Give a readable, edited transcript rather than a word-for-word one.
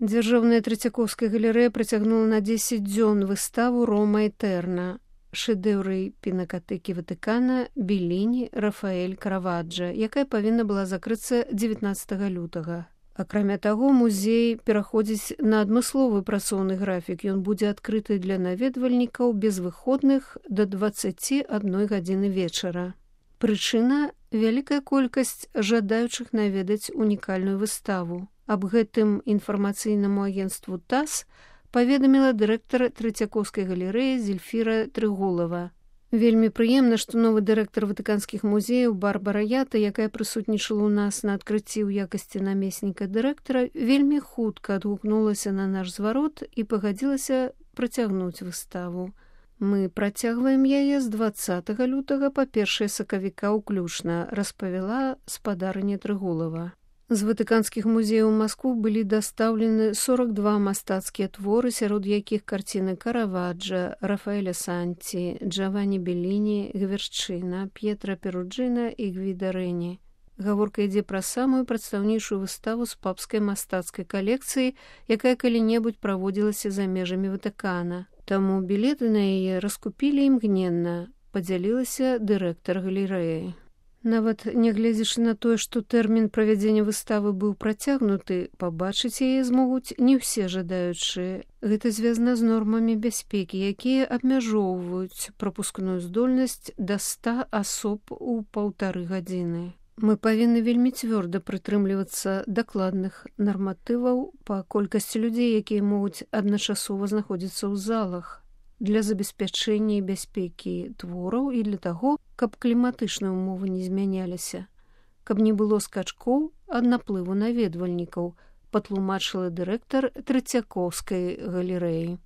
Дзяржаўная Трэцякоўская галерэя працягнула на 10 дзён выставу «Рома Этерна», шэдэўры пінакатэкі Ватыкана Беліні, Рафаэль, Караваджа, якая павінна была закрыцца 19 лютага. Акрамя таго, музей пераходзіць на адмысловы працоўны графік. Ён будзе адкрыты для наведвальнікаў без выходных да 21 гадзіны вечара. Прычына – вялікая колькасць жадаючых наведаць унікальную выставу. Аб гэтым інфармацыйнаму агенцтву ТАСС паведаміла дырэктар Трэцякоўскай галерэі Зельфіра Трыгулава. Вельмі прыемна, што новы дырэктар ватыканскіх музеяў Барбара Ята, якая прысутнічала ў нас на адкрыцці ў якасці намесніка дырэктара, вельмі хутка адгукнулася на наш зварот і пагадзілася працягнуць выставу. Мы працягваем яе з 20 лютага па 1 сакавіка ўключна, распавяла спадарыня Трыгулава. З ватыканскіх музеяў у Маскву былі дастаўлены 42 мастацкія творы, сярод якіх карціны Караваджа, Рафаэля Санці, Джавані Беліні, Гверчына, П'етра Перуджына і Гвіда Рэні. Гаворка ідзе пра самую прадстаўнейшую выставу з папскай мастацкай калекцыі, якая калі-небудзь праводзілася за межамі Ватыкана. Таму білеты на яе раскупілі імгненна, падзялілася дырэктар галерэі. Нават нягледзячы на тое, што тэрмін правядзення выставы быў працягнуты, пабачыць яе змогуць не ўсе жадаючыя. Гэта звязана з нормамі бяспекі, якія абмяжоўваюць прапускную здольнасць да 100 асоб у 1,5 гадзіны. Мы павінны вельмі цвёрда прытрымлівацца дакладных нарматываў па колькасці людзей, якія могуць адначасова знаходзіцца ў залах, для забеспячэння і бяспекі твораў і для таго, каб кліматычныя ўмовы не змяняліся, каб не было скачкоў ад наплыву наведвальнікаў, патлумачыла дырэктар Трэцякоўскай галерэі.